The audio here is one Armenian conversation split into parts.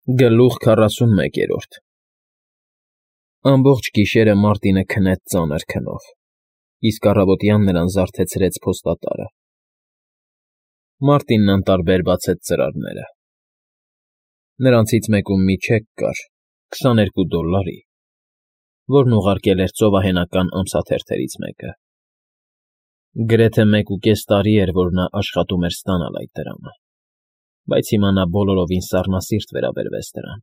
Գլուխ 41 Ամբողջ գիշերը Մարտինը քնեց ծանր քնով, իսկ առավոտյան նրան զարթեցրեց փոստատարը։ Մարտինն անտարբեր բացեց ծրարները։ Նրանցից մեկում մի չեք կար $22, որն ուղարկել էր ծովահենական ամսաթերթերից մեկը։ Գրեթե 1.5 տարի էր, որ նա աշխատում էր ստանալ այդ դրամը, բայց հիմա նա բոլորովին սառնասիրտ վերաբերվեց դրան։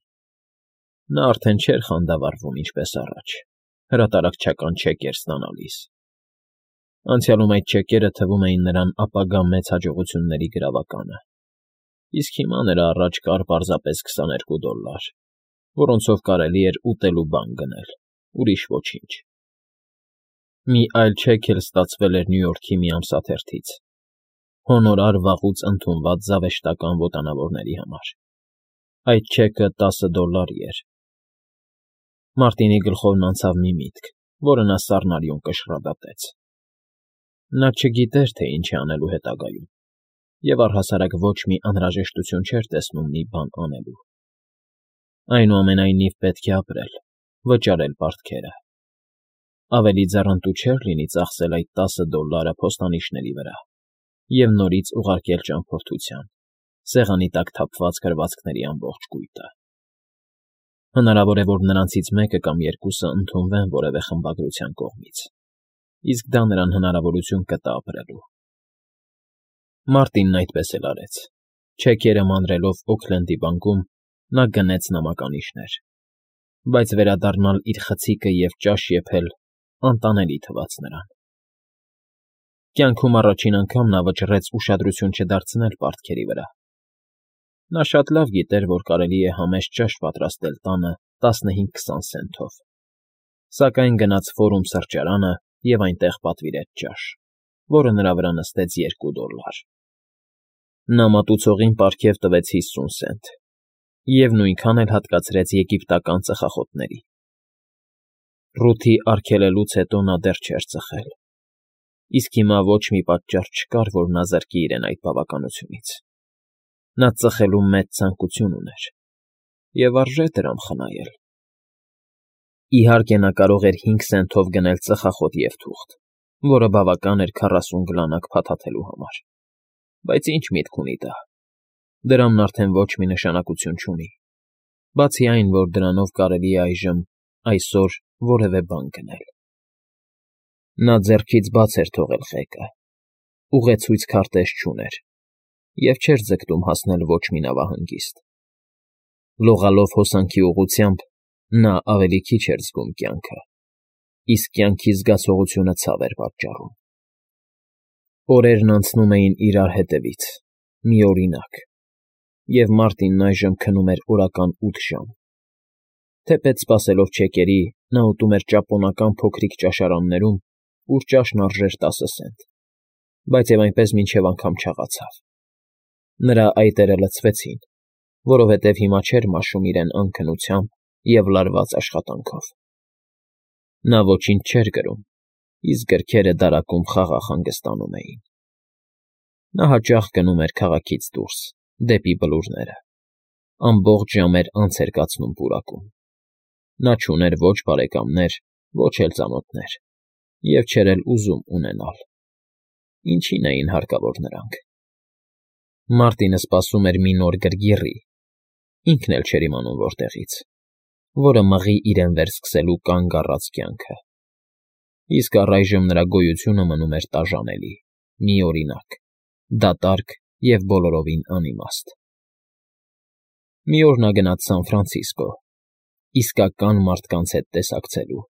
Նա արդեն չէր խանդավառվում ինչպես առաջ, հրատարակչական չեկեր ստանալիս։ Անցյալում այդ չեկերը թվում էին նրան ապագա մեծ հաջողությունների գրավականը, իսկ հիմա նրա առաջ կար պարզապես $22, որոնցով կարելի էր ուտելու բան գնել, ուրիշ ոչինչ։ Մի այլ չեք էլ ստացվել էր Նյու Յորքի մի ամսաթերթից, հոնորար վաղուց ընդունված զավեշտական ոտանավորների համար։ Այդ չեկը $10 էր։ Մարտինի գլխովն անցավ մի միտք, որը նա սառնարյուն կշռադատեց։ Նա չգիտեր, թե ինչ է անելու հետագայում, և առհասարակ ոչ մի անհրաժեշտություն չէր տեսնում մի բան անելու։ Այնուամենայնիվ պետք է ապրել, վճարել պարտքերը։ Ավելի ձեռնտու չէր լինի ծախսել այդ $10 փոստանիշների վրա և նորից ուղարկել ճամփորդության, սեղանի տակ թափված գրվածքների ամբողջ կույտը։ Հնարավոր է, որ նրանցից մեկը կամ երկուսը ընդունվեն որևէ խմբագրության կողմից, իսկ դա նրան հնարավորություն կտա ապրելու։ Մարտինն այդպես էլ արեց։ Չեկերը մանրելով Օքլենդի բանկում, նա գնեց նամականիշներ, բայց վերադառնալ իր խցիկը և ճաշ եփել անտանելի թվաց նրան։ Կյանքում առաջին անգամ նա վճռեց ուշադրություն չդարձնել պարտքերի վրա։ Նա շատ լավ գիտեր, որ կարելի է համեստ ճաշ պատրաստել տանը 15-20 սենթով, սակայն գնաց Ֆորում սրճարանը և այնտեղ պատվիրեց ճաշ, որը նրա վրա նստեց $2։ Նա մատուցողին պարգև տվեց 50 սենտ և նույնքան էլ հատկացրեց եգիպտական ծխախոտների։ Ռութի արգելելուց հետո նա դեռ չէր ծխել, իսկ հիմա ոչ մի պատճառ չկար, որ նա զրկի իրեն այդ բավականությունից։ Նա ծխելու մեծ ցանկություն ուներ, և արժե դրամ խնայել։ Իհարկե, նա կարող էր 5 սենթով գնել ծխախոտ և թուղթ, որը բավական էր 40 գլանակ փաթաթելու համար, բայց ինչ միտք ունի դա։ Դրամն արդեն ոչ մի նշանակություն չունի, բացի այն, որ դրանով կարելի է այսօր որևէ բան գնել։ Նա ձեռքից բաց էր թողել խեկը, ուղեցույց քարտեզ չուներ և չէր ձգտում հասնել ոչ մի նավահանգիստ։ Լողալով հոսանքի ուղղությամբ՝ նա ավելի քիչ էր զգում կյանքը, իսկ կյանքի զգացողությունը ցավ էր պատճառում։ Օրերն անցնում էին իրար հետևից, միօրինակ, և Մարտինն այժմ քնում էր օրական 8 ժամ։ Թեպետ սպասելով չեկերի, նա ուտում էր ճապոնական փոքրիկ ճաշարաններում, ուր ճաշն արժեր 10 սենտ, բայց և այնպես մինչև անգամ չաղացավ։ Նրա այտերը լցվեցին, որովհետև հիմա չէր մաշում իրեն անքնությամբ և լարված աշխատանքով։ Նա ոչինչ չէր գրում, իսկ գրքերը դարակում խաղաղ հանգստանում էին։ Նա հաճախ գնում էր քաղաքից դուրս, դեպի բլուրները, ամբողջ ժամեր անց էր կացնում պուրակում։ Նա չուներ ոչ բարեկամներ, ոչ էլ ծանոթներ և չէր էլ ուզում ունենալ։ Ինչին էին հարկավոր նրանք։ Մարտինը սպասում էր մի նոր գրգիռի (ինքն էլ չէր իմանում որտեղից), որը մղի իրեն վերսկսելու կանգ առած կյանքը, իսկ առայժմ նրա գոյությունը մնում էր տաժանելի, միօրինակ, դատարկ և բոլորովին անիմաստ։ Մի օր նա գնաց Սան Ֆրանցիսկո, իսկական մարդկանց հետ տեսակցելու,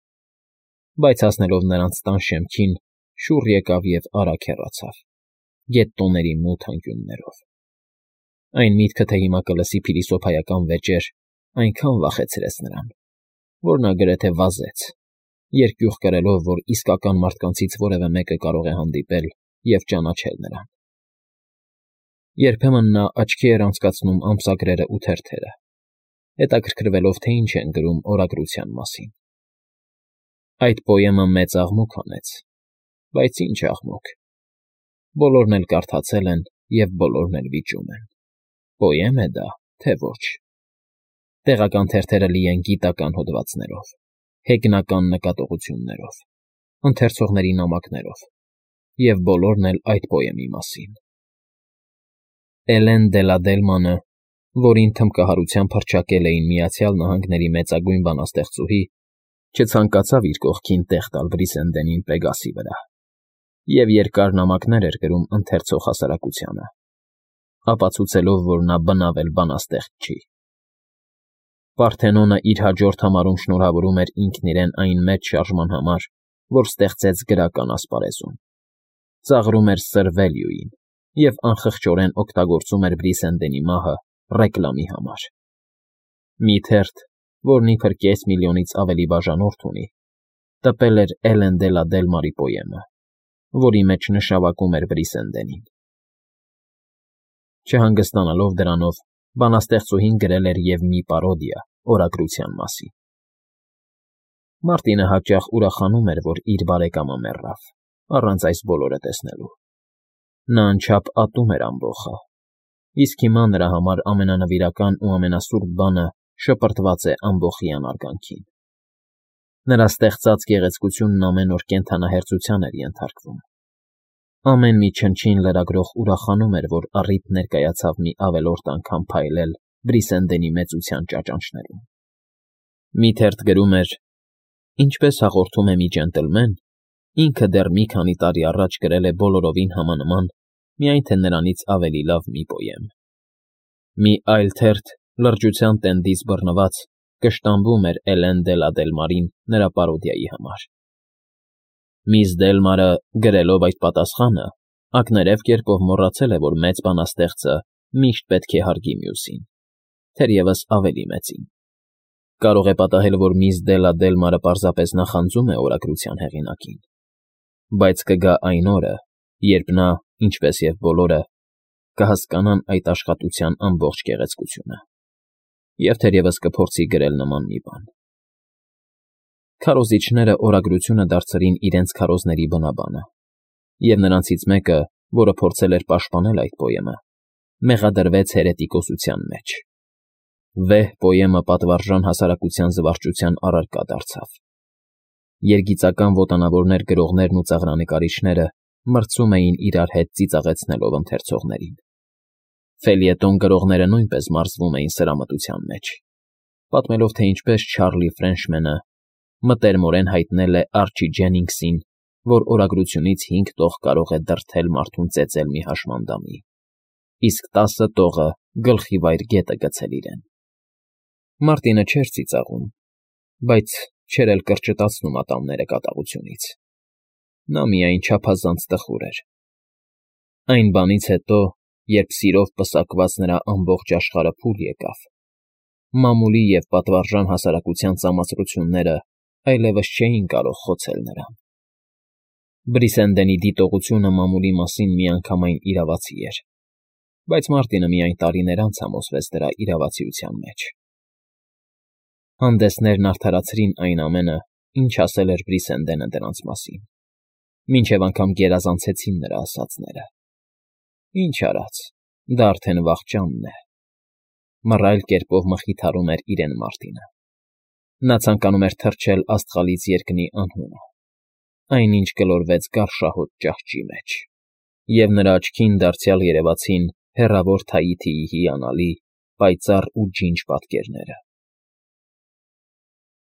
բայց հասնելով նրանց տան շեմքին, շուռ եկավ և արագ հեռացավ, գետտոների մութ անկյուններով։ Այն միտքը, թե հիմա կլսի փիլիսոփայական վեճեր, այնքան վախեցրեց նրան, որ նա գրեթե վազեց, երկյուղ կրելով, որ իսկական մարդկանցից որևէ մեկը կարող է հանդիպել և ճանաչել նրան։ Երբեմն նա աչքի էր անցկացնում ամսագրերն ու թերթերը, հետաքրքրվելով, թե ինչ են գրում օրագրության մասին։ Այդ պոեմը մեծ աղմուկ հանեց, բայց ինչ աղմուկ։ Բոլորն էլ կարդացել են և բոլորն էլ վիճում են. պոեմ է դա, թե ոչ։ Տեղական թերթերը լի են գիտական հոդվածներով, հեգնական նկատողություններով, ընթերցողների նամակներով և բոլորն էլ այդ պոեմի մասին։ Էլեն Դելադելմանը, որին թմբկահարությամբ հռչակել էին Միացյալ Նահանգների մեծագույն բանաստեղծուհի, չցանկացավ իր կողքին տեղ տալ Բրիսենդենին Պեգասի վրա և երկար նամակներ էր գրում ընթերցող հասարակությանը, ապացուցելով, որ նա բնավել բանաստեղծ չի։ Պարթենոնը իր հաջորդ համարում շնորհավորում էր ինքն իրեն այն մեծ շարժման համար, որ ստեղծեց գրական ասպարեզում, ծաղրում էր Սր Վելիույին և անխղճորեն օգտագործում էր Բրիսենդենի մահը ռեկլամի համար։ Մի թերթ, որն իբր 500,000-ից ավելի բաժանորդ ունի, տպել էր Էլեն Դելադելմարի պոեմը, որի մեջ նշավակում էր Բրիսենդենին։ Չհանգստանալով դրանով, բանաստեղծուհին գրել էր և մի պարոդիա օրագրության մասին։ Մարտինը հաճախ ուրախանում էր, որ իր բարեկամը մեռավ, առանց այս բոլորը տեսնելու։ Նա անչափ ատում էր ամբոխը, իսկ հիմա նրա համար ամենանվիրական ու ամենասուրբ բանը շպրտված է ամբոխի անարգանքին։ Նրա ստեղծած գեղեցկությունն ամեն օր կենդանահերձության էր ենթարկվում։ Ամեն մի չնչին լրագրող ուրախանում էր, որ առիթ ներկայացավ մի ավելորդ անգամ փայլել Բրիսենդենի մեծության ճաճանճներում։ Մի թերթ գրում էր. «Ինչպես հաղորդում է մի ջենտլմեն, ինքը դեռ մի քանի տարի առաջ գրել է բոլորովին համանման, միայն թե նրանից ավելի լավ մի պոեմ»։ Մի այլ թերթ, լրջության տենդից բռնված, կշտամբում էր Էլեն Դելադելմարին նրա պարոդիայի համար։ Միս Դելմարը, գրելով այդ պատասխանը, ակներև կերպով մոռացել է, որ մեծ բանաստեղծը միշտ պետք է հարգի մյուսին, թերևս ավելի մեծին։ Կարող է պատահել, որ միս Դելադելմարը պարզապես նախանձում է օրագրության հեղինակին, բայց կգա այն օրը, երբ նա, ինչպես և բոլորը, կհասկանան այդ աշխատության ամբողջ գեղեցկությունը և թերևս կփորձի գրել նման մի բան։ Քարոզիչները օրագրությունը դարձրին իրենց քարոզների բնաբանը, և նրանցից մեկը, որը փորձել էր պաշտպանել այդ պոեմը, մեղադրվեց հերետիկոսության մեջ։ Վեհ պոեմը պատվարժան հասարակության զվարճության առարկա դարձավ։ Երգիծական ոտանավորներ գրողներն ու ծաղրանկարիչները մրցում էին իրար հետ ծիծաղեցնելով ընթերցողներին։ Ֆելիետոն գրողները նույնպես մարզվում էին սրամտության մեջ, պատմելով, թե ինչպես Չարլի Ֆրենչմենը մտերմորեն հայտնել է Արչի Ջենինգսին, որ օրագրությունից 5 տող կարող է դրդել մարդուն ծեծել մի հաշմանդամի, իսկ 10 տողը գլխի վայր գետը գցել իրեն։ Մարտինը չէր ծիծաղում, բայց չէր էլ կրճտացնում ատամները կատաղությունից։ Նա միայն չափազանց տխուր էր։ Այն բանից հետո, երբ սիրով պսակված նրա ամբողջ աշխարհը փուլ եկավ, մամուլի և պատվարժան հասարակության ծամացրությունները այլևս չէին կարող խոցել նրան։ Բրիսենդենի դիտողությունը մամուլի մասին միանգամայն իրավացի էր, բայց Մարտինը միայն տարիներ անց համոզվեց դրա իրավացիության մեջ։ Հանդեսներն արդարացրին այն ամենը, ինչ ասել էր Բրիսենդենը դրանց մասին, մինչև անգամ գերազանցեցին նրա ասածները։ Ինչ արած, դա արդեն վախճանն է։ Մռայլ կերպով մխիթարում էր իրեն Մարտինը։ Նա ցանկանում էր թռչել աստղալից երկնի անհունը, այնինչ գլորվեց գարշահոտ ճահճի մեջ, և նրա աչքին դարձյալ երևացին հեռավոր Թաիթիի հիանալի, պայծառ ու ջինջ պատկերները։